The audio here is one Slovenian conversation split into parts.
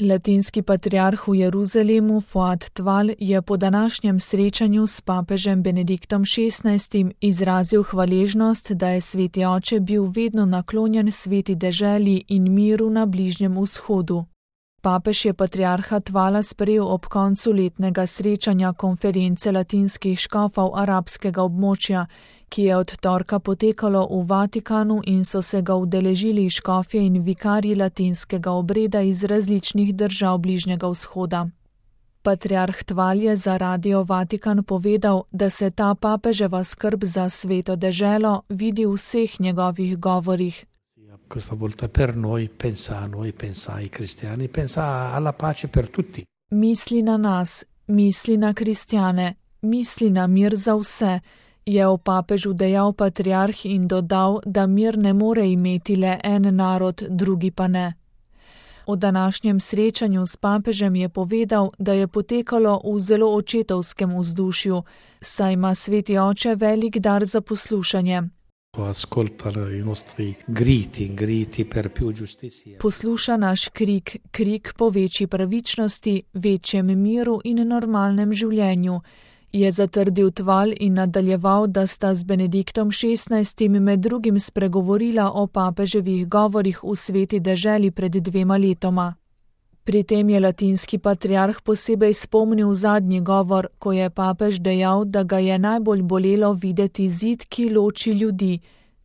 Latinski patriarh v Jeruzalemu Fuad Tval je po današnjem srečanju s papežem Benediktom XVI. Izrazil hvaležnost, da je sveti oče bil vedno naklonjen sveti deželi in miru na Bližnjem vzhodu. Papež je patriarha Tvala sprejel ob koncu letnega srečanja konference latinskih škofov arabskega območja, ki je od torka potekalo v Vatikanu in so se ga udeležili škofje in vikarji latinskega obreda iz različnih držav Bližnjega vzhoda. Patriarh Tval je za Radio Vatikan povedal, da se ta papeževa skrb za sveto deželo vidi v vseh njegovih govorih. Questa volta per noi, pensa a noi, pensa ai cristiani, pensa alla pace per tutti. Misli na nas, misli na kristjane, misli na mir za vse, je o papežu dejal patriarh in dodal, da mir ne more imeti le en narod, drugi pa ne. O današnjem srečanju s papežem je povedal, da je potekalo v zelo očetovskem vzdušju, saj ima sveti oče velik dar za poslušanje. Posluša naš krik po večji pravičnosti, večjem miru in normalnem življenju, je zatrdil Tval in nadaljeval, da sta z Benediktom XVI. Med drugim spregovorila o papeževih govorih v sveti deželi pred 2 letoma. Pri tem je latinski patriarh posebej spomnil zadnji govor, ko je papež dejal, da ga je najbolj bolelo videti zid, ki loči ljudi,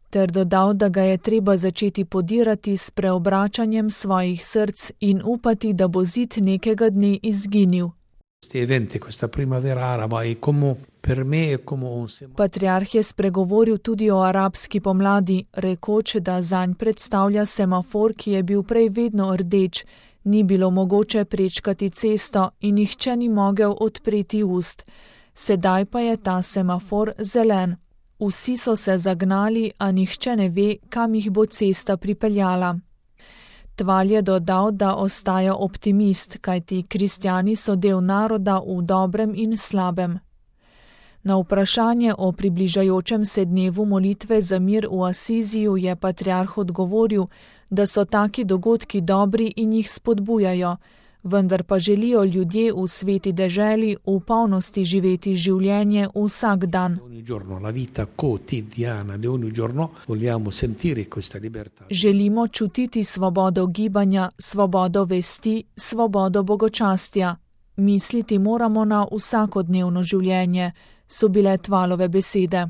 ter dodal, da ga je treba začeti podirati s preobračanjem svojih src in upati, da bo zid nekega dne izginil. Patriarh je spregovoril tudi o arabski pomladi, rekoč, da zanj predstavlja semafor, ki je bil prej vedno rdeč, ni bilo mogoče prečkati cesto in nihče ni mogel odpreti ust. Sedaj pa je ta semafor zelen. Vsi so se zagnali, a nihče ne ve, kam jih bo cesta pripeljala. Tval je dodal, da ostaja optimist, kajti kristjani so del naroda v dobrem in slabem. Na vprašanje o približajočem se dnevu molitve za mir v Asiziju je patriarh odgovoril, da so taki dogodki dobri in jih spodbujajo, vendar pa želijo ljudje v sveti deželi v polnosti živeti življenje vsak dan. Želimo čutiti svobodo gibanja, svobodo vesti, svobodo bogočastja. Misliti moramo na vsakodnevno življenje, so bile Tvalove besede.